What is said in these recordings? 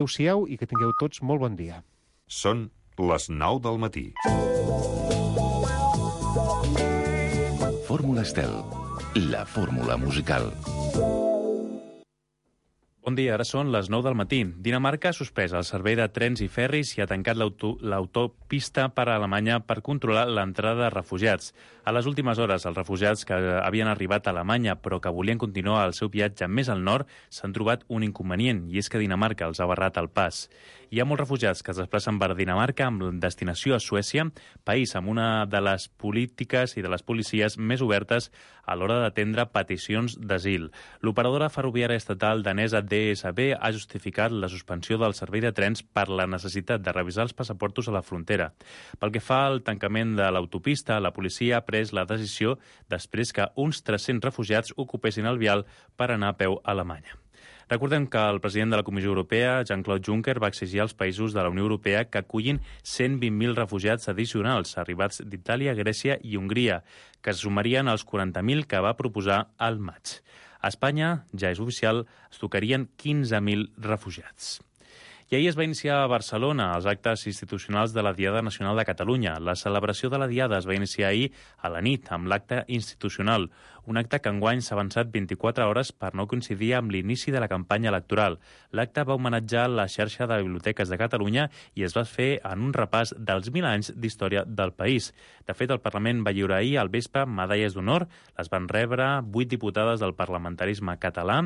Adéu-siau i que tingueu tots molt bon dia. Són les 9 del matí. Fórmula Estel, la fórmula musical. Bon dia, ara són les 9 del matí. Dinamarca ha suspès el servei de trens i ferris i ha tancat l'autopista per a Alemanya per controlar l'entrada de refugiats. A les últimes hores, els refugiats que havien arribat a Alemanya però que volien continuar el seu viatge més al nord s'han trobat un inconvenient, i és que Dinamarca els ha barrat el pas. Hi ha molts refugiats que es desplacen per Dinamarca amb destinació a Suècia, país amb una de les polítiques i de les policies més obertes a l'hora d'atendre peticions d'asil. L'operadora ferroviària estatal danesa DSB ha justificat la suspensió del servei de trens per la necessitat de revisar els passaportos a la frontera. Pel que fa al tancament de l'autopista, la policia ha pres la decisió després que uns 300 refugiats ocupessin el vial per anar a peu a Alemanya. Recordem que el president de la Comissió Europea, Jean-Claude Juncker, va exigir als països de la Unió Europea que acullin 120.000 refugiats addicionals arribats d'Itàlia, Grècia i Hongria, que es sumarien als 40.000 que va proposar al maig. A Espanya, ja és oficial, es tocarien 15.000 refugiats. I ahir es va iniciar a Barcelona els actes institucionals de la Diada Nacional de Catalunya. La celebració de la Diada es va iniciar ahir a la nit amb l'acte institucional, un acte que enguany s'ha avançat 24 hores per no coincidir amb l'inici de la campanya electoral. L'acte va homenatjar la xarxa de biblioteques de Catalunya i es va fer en un repàs dels 1.000 anys d'història del país. De fet, el Parlament va lliurar ahir al vespre medalles d'honor. Les van rebre 8 diputades del parlamentarisme català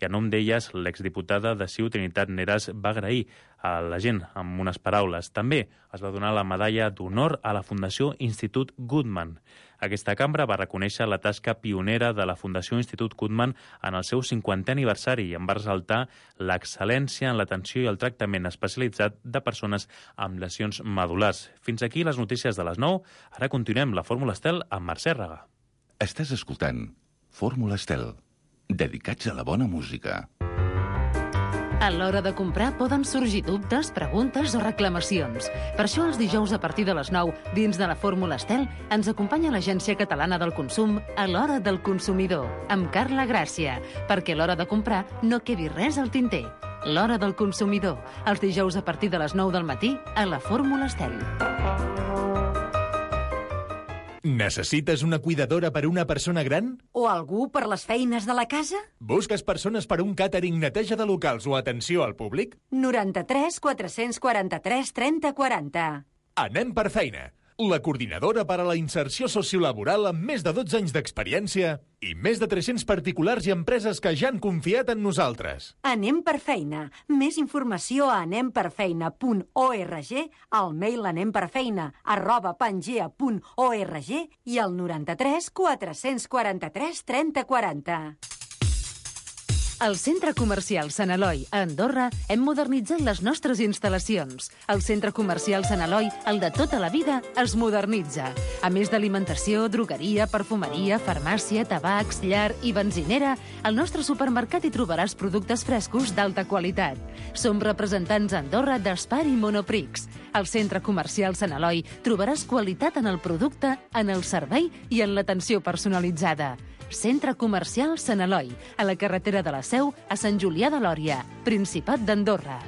i en nom d'elles l'exdiputada de CiU Trinitat Neras va agrair a la gent amb unes paraules. També es va donar la medalla d'honor a la Fundació Institut Guttmann. Aquesta cambra va reconèixer la tasca pionera de la Fundació Institut Guttmann en el seu 50è aniversari i en va ressaltar l'excel·lència en l'atenció i el tractament especialitzat de persones amb lesions medul·lars. Fins aquí les notícies de les 9. Ara continuem la Fórmula Estel amb Mercè Raga. Estàs escoltant Fórmula Estel, dedicats a la bona música. A l'hora de comprar poden sorgir dubtes, preguntes o reclamacions. Per això els dijous a partir de les 9, dins de la Fórmula Estel, ens acompanya l'Agència Catalana del Consum a l'Hora del Consumidor, amb Carla Gràcia, perquè a l'hora de comprar no quedi res al tinter. L'Hora del Consumidor, els dijous a partir de les 9 del matí a la Fórmula Estel. Necessites una cuidadora per una persona gran? O algú per les feines de la casa? Busques persones per un càtering, neteja de locals o atenció al públic? 93 443 30 40. Anem per feina. La coordinadora per a la inserció sociolaboral amb més de 12 anys d'experiència i més de 300 particulars i empreses que ja han confiat en nosaltres. Anem per feina. Més informació a anemperfeina.org, al mail anemperfeina@pangea.org i al 93 443 30 40. Al Centre Comercial Sant Eloi, a Andorra, hem modernitzat les nostres instal·lacions. El Centre Comercial Sant Eloi, el de tota la vida, es modernitza. A més d'alimentació, drogueria, perfumeria, farmàcia, tabacs, llar i benzinera, al nostre supermercat hi trobaràs productes frescos d'alta qualitat. Som representants a Andorra d'Espar i Monoprix. Al Centre Comercial Sant Eloi trobaràs qualitat en el producte, en el servei i en l'atenció personalitzada. Centre Comercial Sant Eloi, a la carretera de la Seu, a Sant Julià de Lòria, Principat d'Andorra.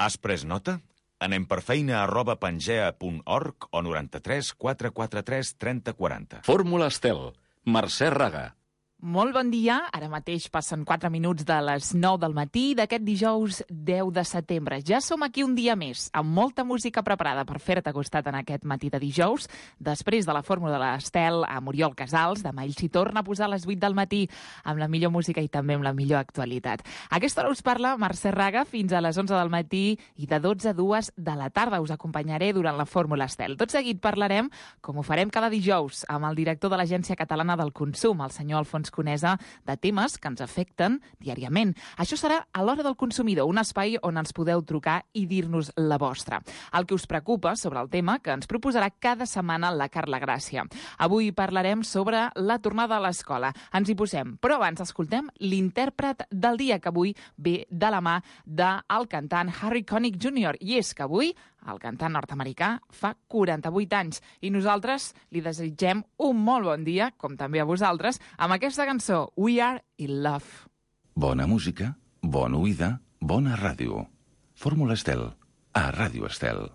Has pres nota? Anem per feina@pangea.org o 93 443 30 40. Fórmula Estel, Mercè Raga. Molt bon dia, ara mateix passen 4 minuts de les 9 del matí d'aquest dijous 10 de setembre. Ja som aquí un dia més, amb molta música preparada per fer-te costat en aquest matí de dijous. Després de la fórmula de l'Estel, a Oriol Casals, demà ell s'hi torna a posar a les 8 del matí amb la millor música i també amb la millor actualitat. A aquesta hora us parla Mercè Raga fins a les 11 del matí i de 12 a 2 de la tarda us acompanyaré durant la fórmula Estel. Tot seguit parlarem, com ho farem cada dijous, amb el director de l'Agència Catalana del Consum, el senyor Alfons Conesa, de temes que ens afecten diàriament. Això serà a l'Hora del Consumidor, un espai on ens podeu trucar i dir-nos la vostra. El que us preocupa sobre el tema que ens proposarà cada setmana la Carla Gràcia. Avui parlarem sobre la tornada a l'escola. Ens hi posem, però abans escoltem l'intèrpret del dia, que avui ve de la mà del cantant Harry Connick Jr. I és que avui el cantant nord-americà fa 48 anys i nosaltres li desitgem un molt bon dia, com també a vosaltres, amb aquesta cançó We Are in Love. Bona música Bona oïda, bona ràdio. Fórmula Estel, a Ràdio Estel.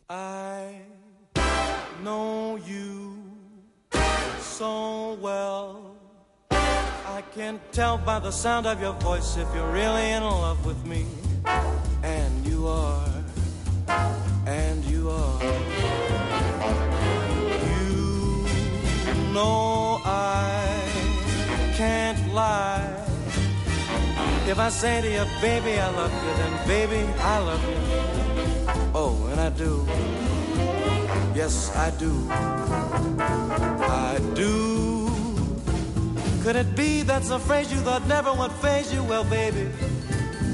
I know you so well. I can tell by the sound of your voice if you're really in love with me. And you are. And you are. You know I can't lie. If I say to you, baby, I love you, then baby, I love you. Oh, and I do. Yes, I do. I do. Could it be that's a phrase you thought never would faze you? Well, baby,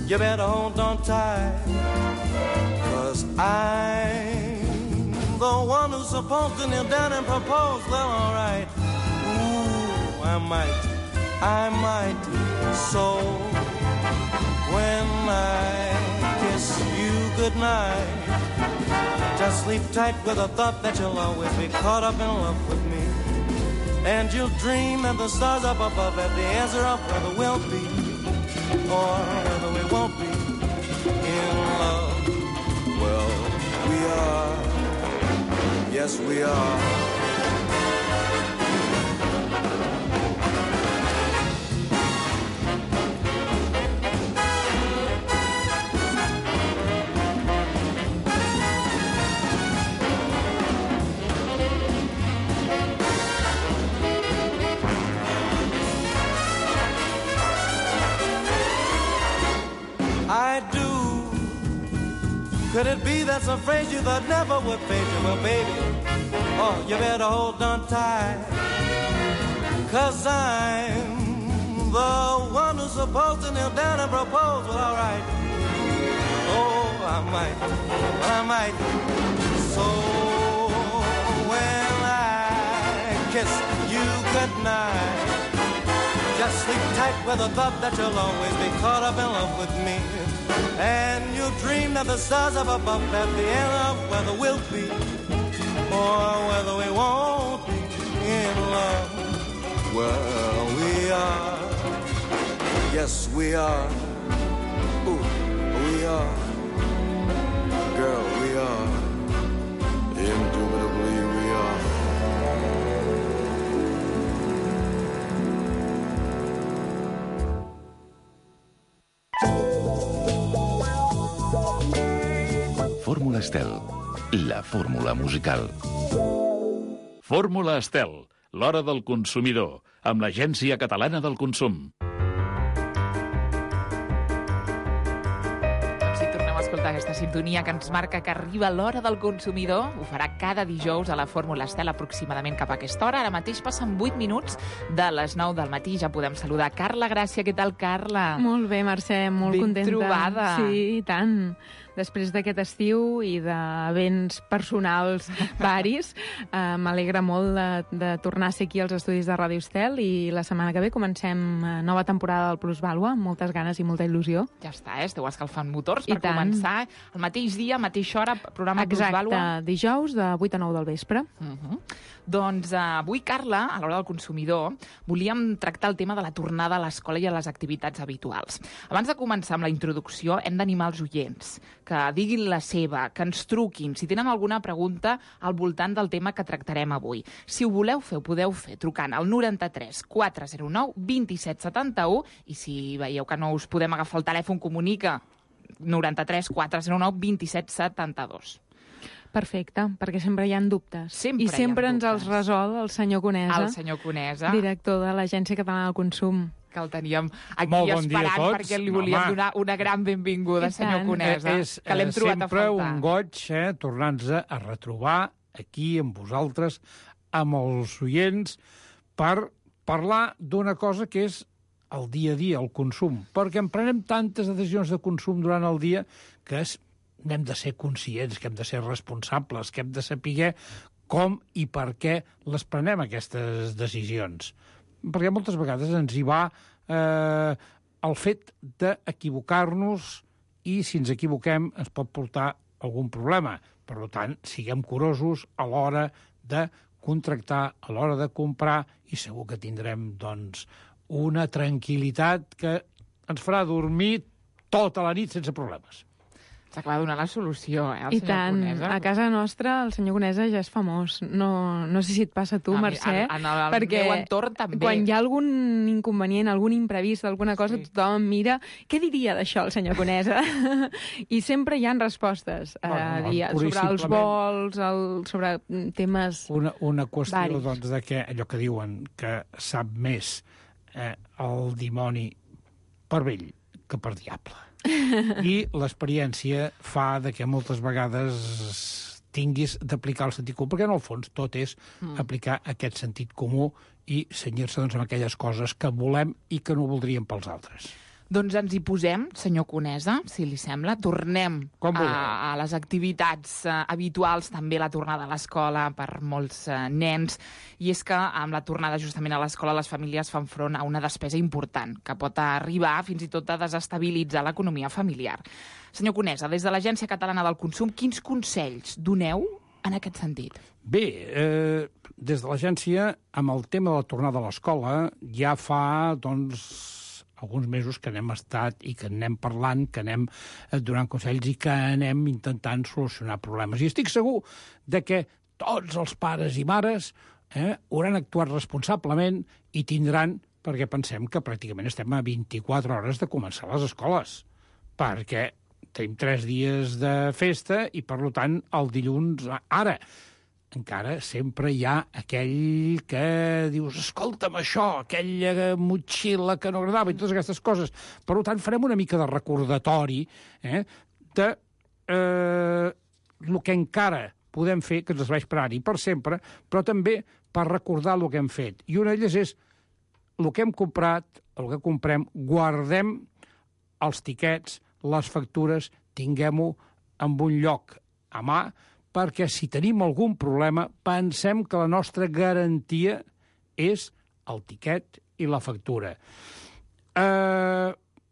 you better hold on tight. 'Cause I'm the one who's supposed to kneel down and propose. Well, all right. Ooh, I might. So when I kiss you goodnight, just sleep tight with the thought that you'll always be caught up in love with me. And you'll dream that the stars up above have the answer of whether we'll be or whether we won't be in love. Well, we are. Yes, we are. I do. Could it be that's a phrase you thought never would fade you? Well, baby, oh, you better hold on tight. 'Cause I'm the one who's supposed to kneel down and propose. Well, all right. Oh, I might. So when I kiss you goodnight, just sleep tight with the thought that you'll always be caught up in love with me. And you'll dream that the stars up above at the end of whether we'll be or whether we won't be in love. Well, we are. Yes, we are. Ooh, we are. Girl, we are. Indubitably we are. Fórmula Estel, la fórmula musical. Fórmula Estel, l'hora del consumidor, amb l'Agència Catalana del Consum. Si tornem a escoltar aquesta sintonia que ens marca que arriba l'hora del consumidor, ho farà cada dijous a la Fórmula Estel, aproximadament cap a aquesta hora. Ara mateix passen 8 minuts de les 9 del matí. Ja podem saludar Carla Gràcia. Què tal, Carla? Molt bé, Mercè, molt contenta. Ben trobada. Sí, i tant. Després d'aquest estiu i d'events personals varis, m'alegra molt de tornar a ser aquí als estudis de Ràdio Estel, i la setmana que ve comencem nova temporada del Plusvàlua, amb moltes ganes i molta il·lusió. Ja està, esteu escalfant motors per començar el mateix dia, mateixa hora, programa Plusvàlua. Exacte, dijous de 8 a 9 del vespre. Doncs avui, Carla, a l'hora del consumidor, volíem tractar el tema de la tornada a l'escola i a les activitats habituals. Abans de començar amb la introducció, hem d'animar els oients que diguin la seva, que ens truquin, si tenen alguna pregunta al voltant del tema que tractarem avui. Si ho voleu fer, ho podeu fer trucant al 93 409 27 71, i si veieu que no us podem agafar el telèfon, comunica 93 409 27 72. Perfecte, perquè sempre hi ha dubtes. Sempre I sempre ens els resol el senyor Conesa. El senyor Conesa. Director de l'Agència Catalana del Consum. Que el teníem aquí esperant perquè li volíem donar una gran benvinguda, senyor Conesa, que l'hem trobat a faltar. És sempre un goig tornar-nos a retrobar aquí amb vosaltres, amb els oients, per parlar d'una cosa que és el dia a dia, el consum. Perquè en prenem tantes decisions de consum durant el dia que hem de ser conscients, que hem de ser responsables, que hem de saber com i per què les prenem, aquestes decisions. Perquè moltes vegades ens hi va el fet d'equivocar-nos, i si ens equivoquem ens pot portar algun problema. Per tant, siguem curosos a l'hora de contractar, a l'hora de comprar, i segur que tindrem, doncs, una tranquil·litat que ens farà dormir tota la nit sense problemes. S'acaba de donar la solució, el I senyor tant, Conesa. a casa nostra el senyor Conesa ja és famós. No sé si et passa a tu, Mercè, En el perquè meu entorn també. quan hi ha algun inconvenient, algun imprevist, alguna cosa, tothom mira què diria d'això el senyor Conesa? I sempre hi ha respostes sobre els vols, sobre temes Una qüestió, varis. doncs, de que allò que diuen que sap més el dimoni per vell que per diable. I l'experiència fa de que moltes vegades tinguis d'aplicar el sentit comú, perquè en el fons tot és aplicar aquest sentit comú i cenyir-se doncs, amb aquelles coses que volem i que no voldríem pels altres. Doncs ens hi posem, senyor Conesa, si li sembla. Tornem a les activitats habituals, també la tornada a l'escola per molts nens. I és que amb la tornada justament a l'escola les famílies fan front a una despesa important que pot arribar fins i tot a desestabilitzar l'economia familiar. Senyor Conesa, des de l'Agència Catalana del Consum, quins consells doneu en aquest sentit? Bé, des de l'agència, amb el tema de la tornada a l'escola, ja fa, doncs, alguns mesos que n'hem estat i que anem parlant, que anem donant consells i que anem intentant solucionar problemes. I estic segur de que tots els pares i mares hauran actuat responsablement i tindran, perquè pensem que pràcticament estem a 24 hores de començar les escoles, perquè tenim 3 dies de festa i, per tant, el dilluns, ara, encara sempre hi ha aquell que dius, escolta'm això, aquella motxilla que no agradava i totes aquestes coses. Per tant, farem una mica de recordatori de el que encara podem fer, que ens serveix per ara i per sempre, però també per recordar el que hem fet. I una d'elles és el que hem comprat, el que comprem, guardem els tiquets, les factures, tinguem-ho en un lloc a mà, perquè si tenim algun problema pensem que la nostra garantia és el tiquet i la factura.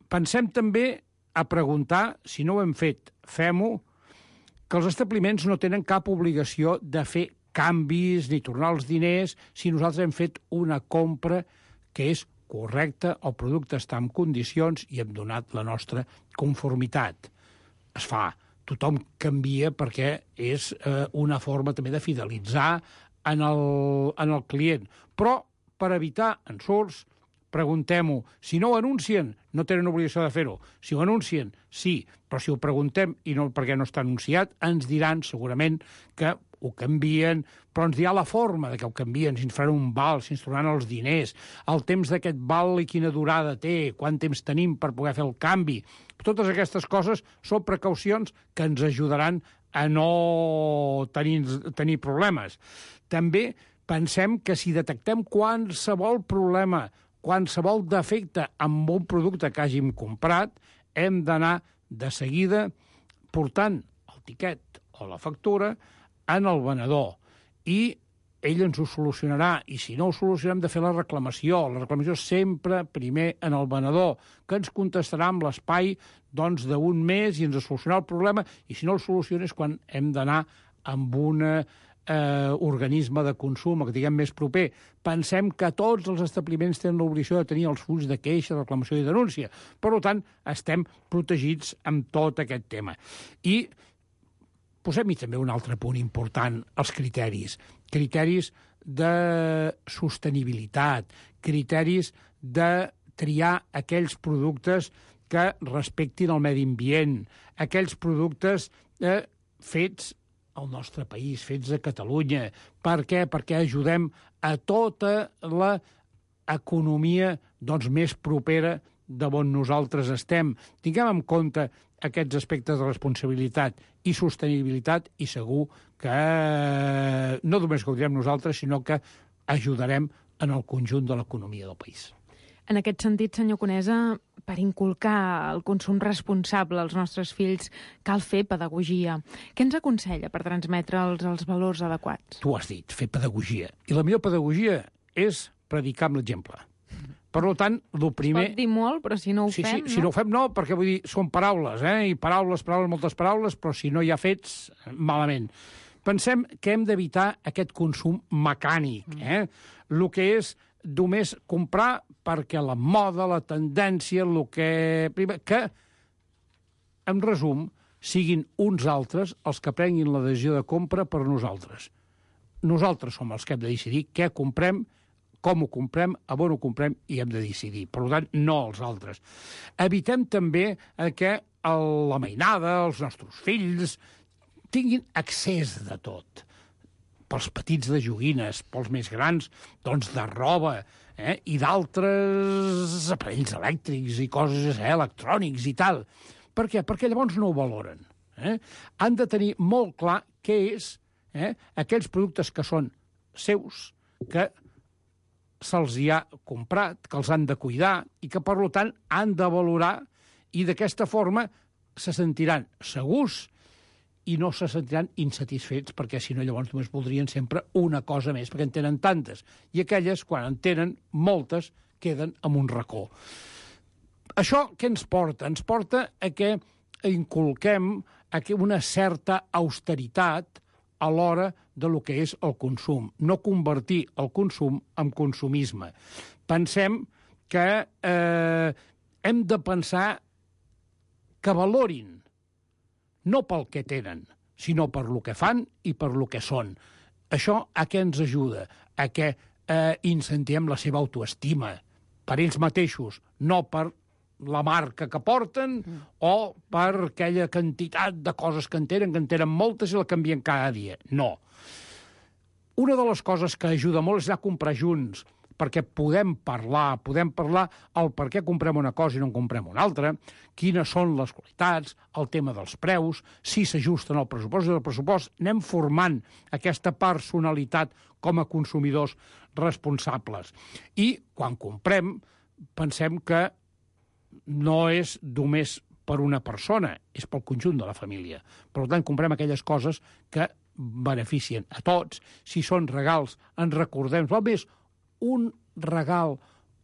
Pensem també a preguntar, si no ho hem fet, fem-ho, que els establiments no tenen cap obligació de fer canvis ni tornar els diners si nosaltres hem fet una compra que és correcta, el producte està en condicions i hem donat la nostra conformitat. Es fa. Tothom canvia perquè és una forma també de fidelitzar en el client. Però, per evitar ensurts, preguntem-ho. Si no ho anuncien, no tenen obligació de fer-ho. Si ho anuncien, sí, però si ho preguntem i no perquè no està anunciat, ens diran segurament que ho canvien, però ens dirà la forma de que ho canvien, si ens faran un val, si ens tornaran els diners, el temps d'aquest val i quina durada té, quant temps tenim per poder fer el canvi. Totes aquestes coses són precaucions que ens ajudaran a no tenir problemes. També pensem que si detectem qualsevol problema, qualsevol defecte amb un producte que hàgim comprat, hem d'anar de seguida portant el tiquet o la factura en el venedor i ell ens ho solucionarà, i si no ho solucionem de fer la reclamació sempre primer en el venedor, que ens contestarà amb l'espai doncs, d'un mes i ens solucionarà el problema, i si no el soluciona és quan hem d'anar amb un organisme de consum, que diguem més proper. Pensem que tots els establiments tenen l'obligació de tenir els fulls de queixa, de reclamació i denúncia. Per tant, estem protegits amb tot aquest tema. I posem-hi també un altre punt important, els criteris. Criteris de sostenibilitat, criteris de triar aquells productes que respectin el medi ambient, aquells productes fets al nostre país, fets a Catalunya. Per què? Perquè ajudem a tota l'economia més propera de on nosaltres estem. Tinguem en compte aquests aspectes de responsabilitat i sostenibilitat i segur que no només gaudirem nosaltres, sinó que ajudarem en el conjunt de l'economia del país. En aquest sentit, senyor Conesa, per inculcar el consum responsable als nostres fills cal fer pedagogia. Què ens aconsella per transmetre'ls els valors adequats? Tu has dit, fer pedagogia. I la millor pedagogia és predicar amb l'exemple. Per tant, el primer... Es pot dir molt, però si no ho fem, no? Si no ho fem, no, perquè vull dir, són paraules, i paraules, moltes paraules, però si no hi ha fets, malament. Pensem que hem d'evitar aquest consum mecànic, el que és només comprar perquè la moda, la tendència, el que en resum, siguin uns altres els que prenguin la decisió de compra per nosaltres. Nosaltres som els que hem de decidir què comprem, com ho comprem, a on ho comprem, i hem de decidir. Per tant, no els altres. Evitem també que la mainada, els nostres fills, tinguin accés de tot. Pels petits de joguines, pels més grans, doncs de roba, i d'altres aparells elèctrics i coses electrònics i tal. Per què? Perquè llavors no ho valoren. Han de tenir molt clar què és aquells productes que són seus, que se'ls hi ha comprat, que els han de cuidar i que, per tant, han de valorar, i d'aquesta forma se sentiran segurs i no se sentiran insatisfets, perquè si no llavors només voldrien sempre una cosa més, perquè en tenen tantes. I aquelles, quan en tenen moltes, queden en un racó. Això què ens porta? Ens porta a que inculquem una certa austeritat a l'hora de lo que és el consum. No convertir el consum en consumisme. Pensem que hem de pensar que valorin, no pel que tenen, sinó per lo que fan i per lo que són. Això a què ens ajuda? A que incentivem la seva autoestima per ells mateixos, no per la marca que porten o per aquella quantitat de coses que en tenen moltes i la canvien cada dia. No. Una de les coses que ajuda molt és anar a comprar junts, perquè podem parlar el per què comprem una cosa i no en comprem una altra, quines són les qualitats, el tema dels preus, si s'ajusten al pressupost i del pressupost. Anem formant aquesta personalitat com a consumidors responsables. I quan comprem, pensem que no és només per una persona, és pel conjunt de la família. Per tant, comprem aquelles coses que beneficien a tots. Si són regals, ens recordem, val més un regal,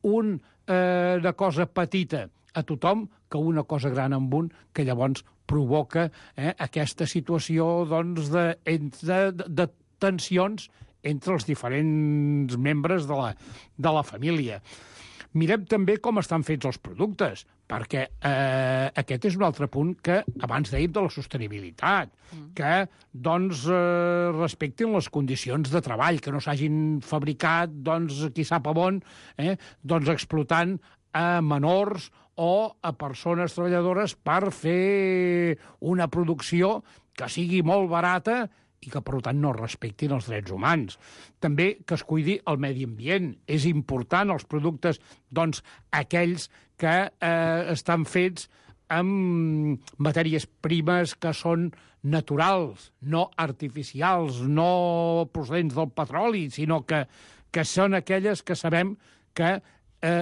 una cosa petita a tothom que una cosa gran amb un, que llavors provoca aquesta situació doncs, de tensions entre els diferents membres de la família. Mirem també com estan fets els productes, perquè aquest és un altre punt que abans dèiem de la sostenibilitat, que doncs, respectin les condicions de treball, que no s'hagin fabricat, doncs, qui sap on, doncs, explotant a menors o a persones treballadores per fer una producció que sigui molt barata i que, per tant, no respectin els drets humans. També que es cuidi el medi ambient. És important els productes, doncs, aquells que estan fets amb matèries primes que són naturals, no artificials, no procedents del petroli, sinó que són aquelles que sabem que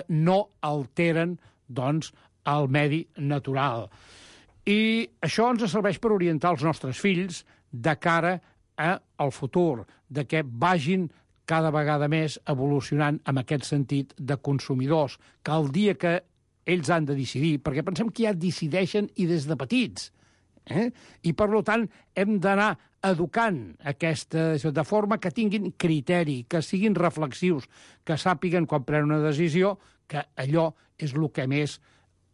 no alteren, doncs, el medi natural. I això ens serveix per orientar els nostres fills de cara al futur, de que vagin cada vegada més evolucionant en aquest sentit de consumidors, que el dia que ells han de decidir, perquè pensem que ja decideixen i des de petits, i per tant hem d'anar educant de forma que tinguin criteri, que siguin reflexius, que sàpiguen quan prenen una decisió que allò és el que més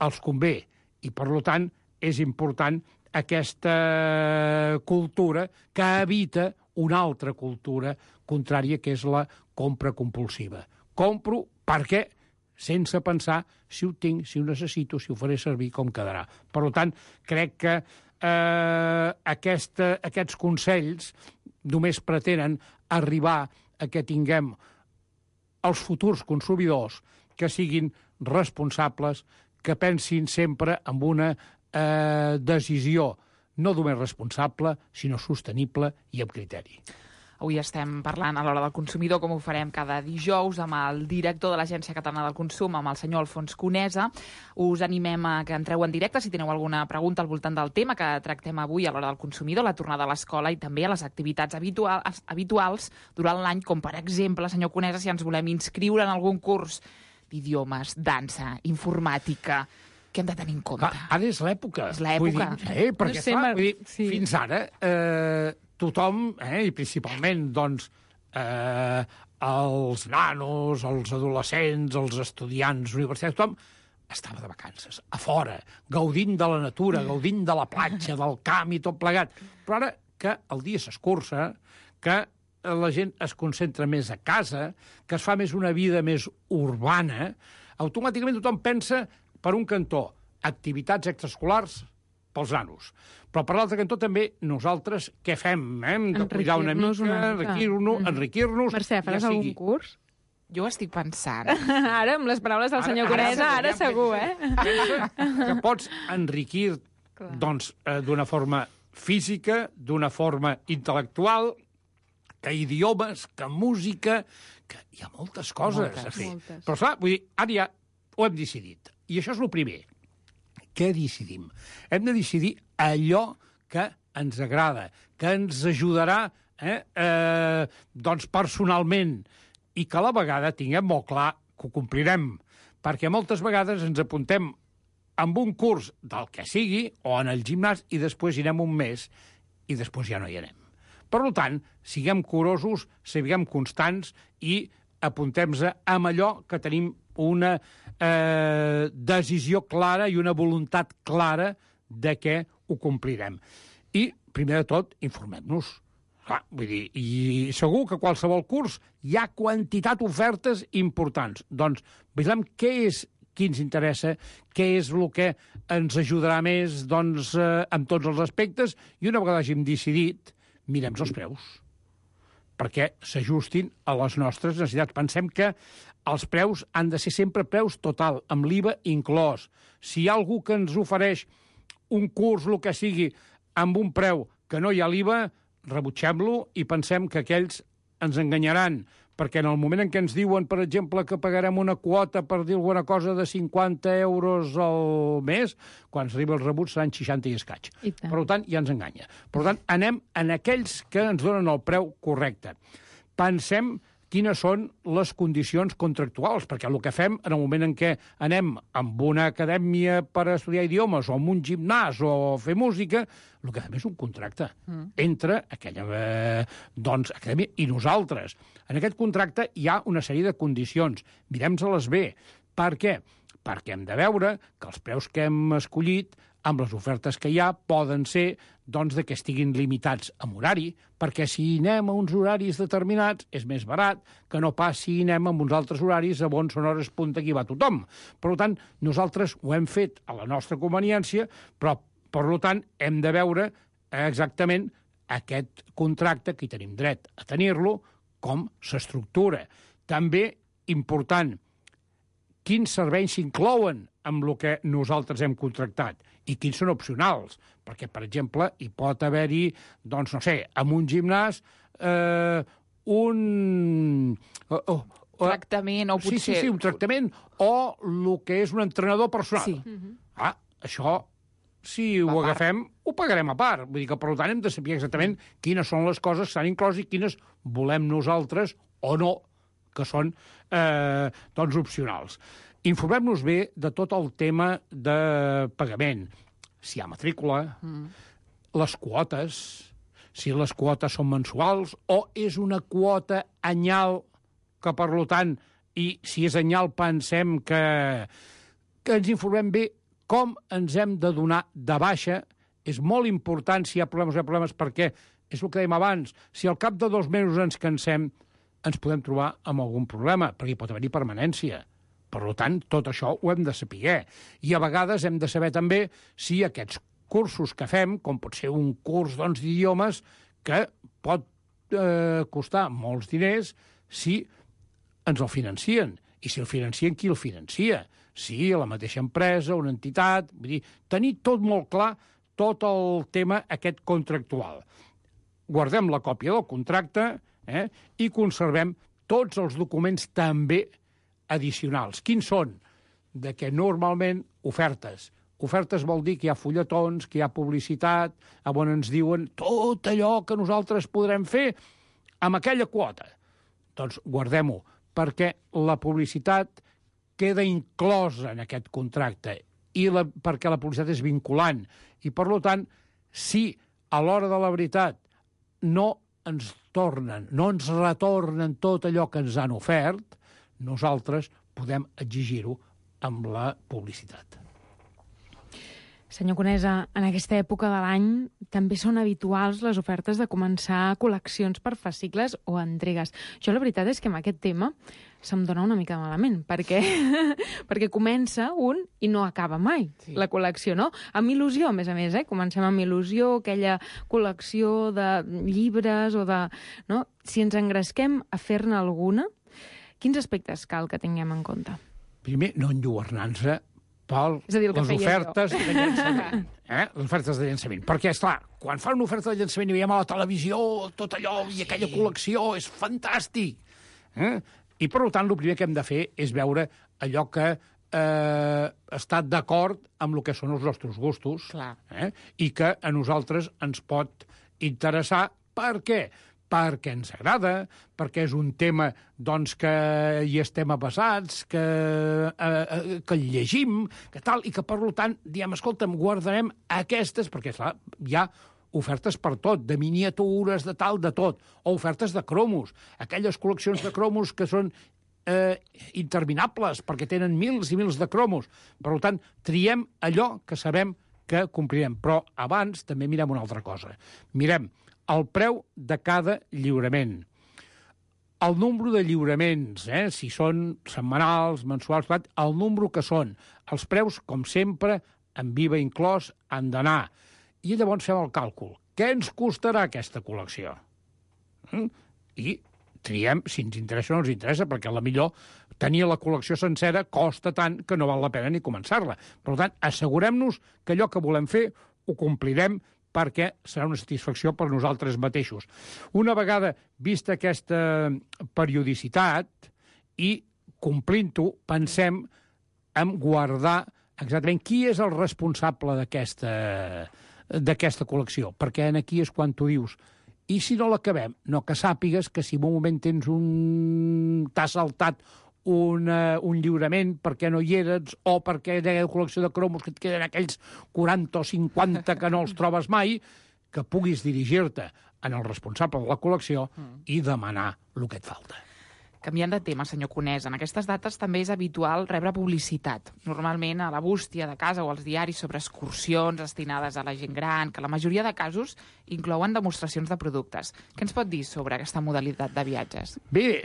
els convé. I per tant és important aquesta cultura que evita una altra cultura contrària, que és la compra compulsiva. Compro perquè, sense pensar si ho tinc, si ho necessito, si ho faré servir, com quedarà. Per tant, crec que aquests consells només pretenen arribar a que tinguem els futurs consumidors que siguin responsables, que pensin sempre en una decisió no només responsable, sinó sostenible i amb criteri. Avui estem parlant a l'Hora del Consumidor, com ho farem cada dijous, amb el director de l'Agència Catalana del Consum, amb el senyor Alfons Conesa. Us animem a que entreu en directe si teniu alguna pregunta al voltant del tema que tractem avui a l'Hora del Consumidor, la tornada a l'escola i també a les activitats habituals durant l'any, com per exemple, senyor Conesa, si ens volem inscriure en algun curs d'idiomes, dansa, informàtica, què hem de tenir en compte? Ara és l'època. És l'època. Perquè, clar, fins ara tothom, i principalment doncs, els nanos, els adolescents, els estudiants universitaris, tothom estava de vacances, a fora, gaudint de la natura, gaudint de la platja, del camp i tot plegat. Però ara que el dia s'escurça, que la gent es concentra més a casa, que es fa més una vida més urbana, automàticament tothom pensa, per un cantó, activitats extraescolars pels nanos. Però per l'altre cantó també nosaltres què fem? Hem de cuidar una mica, enriquir-nos... Mercè, faràs algun curs? Jo ho estic pensant. Ara, amb les paraules del senyor Conesa, ara segur, Que pots enriquir doncs, d'una forma física, d'una forma intel·lectual, que idiomes, que música, que hi ha moltes coses a fer. Però, clar, vull dir, ara ja ho hem decidit. I això és el primer. Què decidim? Hem de decidir allò que ens agrada, que ens ajudarà doncs personalment, i que a la vegada tinguem molt clar que ho complirem, perquè moltes vegades ens apuntem amb un curs del que sigui, o en el gimnàs, i després hi anem un mes, i després ja no hi anem. Per tant, siguem curosos, siguem constants, i apuntem-se amb allò que tenim una decisió clara i una voluntat clara de què ho complirem. I, primer de tot, informem-nos. Clar, vull dir, i segur que qualsevol curs hi ha quantitat d'ofertes importants. Doncs veiem què ens interessa, què és el que ens ajudarà més doncs, en tots els aspectes, i una vegada hàgim decidit, mirem els preus, perquè s'ajustin a les nostres necessitats. Pensem que els preus han de ser sempre preus total, amb l'IVA inclòs. Si hi ha algú que ens ofereix un curs, el que sigui, amb un preu que no hi ha l'IVA, rebutgem-lo i pensem que aquells ens enganyaran, perquè en el moment en què ens diuen, per exemple, que pagarem una quota, per dir alguna cosa, de 50 euros al mes, quan s'arriba el rebut seran 60 i escaig. Per tant, ja ens enganya. Per tant, anem en aquells que ens donen el preu correcte. Pensem quines són les condicions contractuals, perquè el que fem en el moment en què anem amb una acadèmia per estudiar idiomes o amb un gimnàs o fer música, el que fem és un contracte entre aquella acadèmia i nosaltres. En aquest contracte hi ha una sèrie de condicions. Mirem-se-les bé. Per què? Perquè hem de veure que els preus que hem escollit amb les ofertes que hi ha poden ser doncs, que estiguin limitats amb horari, perquè si anem a uns horaris determinats és més barat que no pas si anem a uns altres horaris on són hores punta que hi va tothom. Per tant, nosaltres ho hem fet a la nostra conveniència, però, per tant, hem de veure exactament aquest contracte, que hi tenim dret a tenir-lo, com s'estructura. També important, quins serveis s'inclouen amb el que nosaltres hem contractat i quins són opcionals. Perquè, per exemple, hi pot haver-hi, doncs, no sé, en un gimnàs, un... tractament, o potser... Sí, un tractament, o el que és un entrenador personal. Sí. Això, si ho agafem, ho pagarem a part. Vull dir que, per tant, hem de saber exactament quines són les coses que s'han inclòs i quines volem nosaltres o no, que són doncs, opcionals. Informem-nos bé de tot el tema de pagament. Si hi ha matrícula, les quotes, si les quotes són mensuals o és una quota anyal que, per tant, i si és anyal pensem que ens informem bé com ens hem de donar de baixa. És molt important si hi ha problemes, perquè és el que dèiem abans, si al cap de 2 mesos ens cansem, ens podem trobar amb algun problema, perquè hi pot haver-hi permanència. Per tant, tot això ho hem de saber. I a vegades hem de saber també si aquests cursos que fem, com pot ser un curs d'idiomes, que pot costar molts diners, si ens el financien. I si el financien, qui el financia? Si la mateixa empresa, una entitat... Vull dir, tenir tot molt clar, tot el tema aquest contractual. Guardem la còpia del contracte i conservem tots els documents també addicionals. Quins són? De que normalment ofertes. Ofertes vol dir que hi ha fulletons, que hi ha publicitat, on ens diuen tot allò que nosaltres podrem fer amb aquella quota. Doncs guardem-ho, perquè la publicitat queda inclosa en aquest contracte i perquè la publicitat és vinculant. I, per tant, si a l'hora de la veritat no ens retornen tot allò que ens han ofert, nosaltres podem exigir-ho amb la publicitat. Senyor Conesa, en aquesta època de l'any també són habituals les ofertes de començar col·leccions per fascicles o entregues. Jo la veritat és que amb aquest tema se'm dona una mica malament, perquè comença un i no acaba mai, la col·lecció, no? Amb il·lusió, a més, comencem amb il·lusió, aquella col·lecció de llibres o de... No? Si ens engresquem a fer-ne alguna, quins aspectes cal que tinguem en compte? Primer, no enlluernar-se per les ofertes de llançament. Les ofertes de llançament. Perquè, esclar, quan fan una oferta de llançament i veiem a la televisió tot allò i aquella col·lecció, és fantàstic. I, per tant, el primer que hem de fer és veure allò que està d'acord amb el que són els nostres gustos i que a nosaltres ens pot interessar. Per què? Perquè ens agrada, perquè és un tema doncs, que hi estem avesats, que el llegim, que tal, i que, per tant, diem, escolta'm, guardarem aquestes, perquè, clar, hi ha ofertes per tot, de miniatures, de tal, de tot, o ofertes de cromos, aquelles col·leccions de cromos que són interminables, perquè tenen mils i mils de cromos. Per tant, triem allò que sabem que complirem. Però abans també mirem una altra cosa. Mirem el preu de cada lliurament. El nombre de lliuraments, si són setmanals, mensuals, el nombre que són. Els preus, com sempre, en IVA inclòs, han d'anar. I llavors fem el càlcul. Què ens costarà aquesta col·lecció? I triem si ens interessa o no ens interessa, perquè potser tenir la col·lecció sencera costa tant que no val la pena ni començar-la. Per tant, assegurem-nos que allò que volem fer ho complirem, perquè serà una satisfacció per nosaltres mateixos. Una vegada vista aquesta periodicitat i complint-ho, pensem en guardar exactament qui és el responsable d'aquesta col·lecció, perquè aquí és quan tu dius i si no l'acabem? No, que sàpigues que si en un moment t'ha saltat un lliurament perquè no hi eres o perquè hi ha una col·lecció de cromos que et queden aquells 40 o 50 que no els trobes mai, que puguis dirigir-te en el responsable de la col·lecció i demanar el que et falta. Canviant de tema, senyor Conesa, en aquestes dates també és habitual rebre publicitat, normalment a la bústia de casa o als diaris sobre excursions destinades a la gent gran, que la majoria de casos inclouen demostracions de productes. Què ens pot dir sobre aquesta modalitat de viatges? Bé,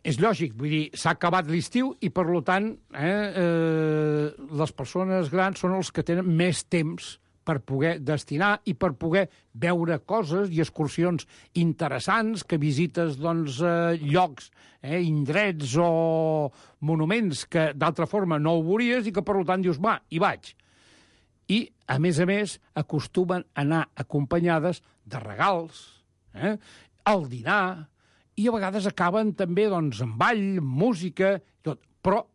és lògic, vull dir, s'ha acabat l'estiu i, per tant, les persones grans són els que tenen més temps per poder destinar i per poder veure coses i excursions interessants, que visites llocs, indrets o monuments que d'altra forma no ho veuries i que, per tant, dius, va, hi vaig. I, a més, acostumen a anar acompanyades de regals, al dinar, i a vegades acaben també amb ball, música, tot. Però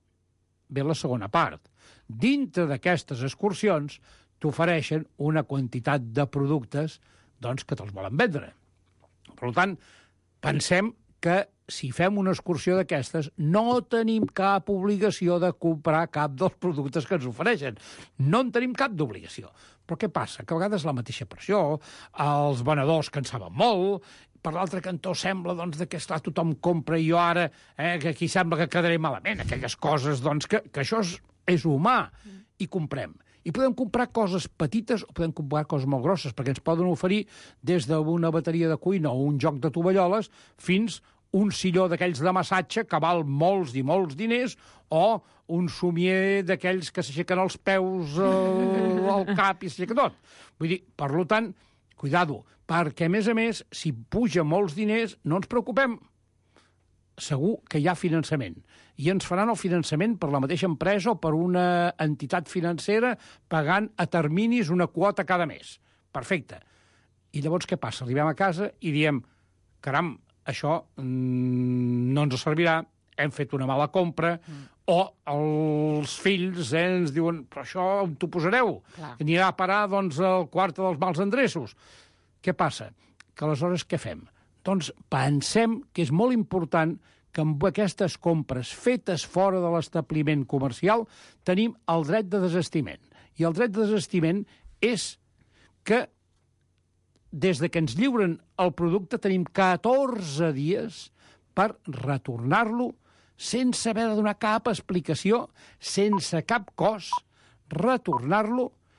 ve la segona part. Dintre d'aquestes excursions t'ofereixen una quantitat de productes que te'ls volen vendre. Per tant, pensem que si fem una excursió d'aquestes no tenim cap obligació de comprar cap dels productes que ens ofereixen. No en tenim cap d'obligació. Però què passa? Que a vegades la mateixa pressió, els venedors que en saben molt, per l'altre cantó sembla que esclar, tothom compra i jo ara, que aquí sembla que quedaré malament, aquelles coses que això és humà, i comprem. I podem comprar coses petites o podem comprar coses molt grosses, perquè ens poden oferir des d'una bateria de cuina o un joc de tovalloles fins un silló d'aquells de massatge que val molts i molts diners o un somier d'aquells que s'aixequen els peus al cap i s'aixeca tot. Vull dir, per tant, cuidado, perquè, a més, si puja molts diners, no ens preocupem. Segur que hi ha finançament. I ens faran el finançament per la mateixa empresa o per una entitat financera pagant a terminis una quota cada mes. Perfecte. I llavors què passa? Arribem a casa i diem, caram, això no ens servirà, hem fet una mala compra, o els fills ens diuen, però això on t'ho posareu? Clar. Anirà a parar al quart dels mals endreços. Què passa? Que aleshores què fem? Doncs pensem que és molt important que amb aquestes compres fetes fora de l'establiment comercial tenim el dret de desistiment. I el dret de desistiment és que des que ens lliuren el producte tenim 14 dies per retornar-lo sense haver de donar cap explicació, sense cap cost, retornar-lo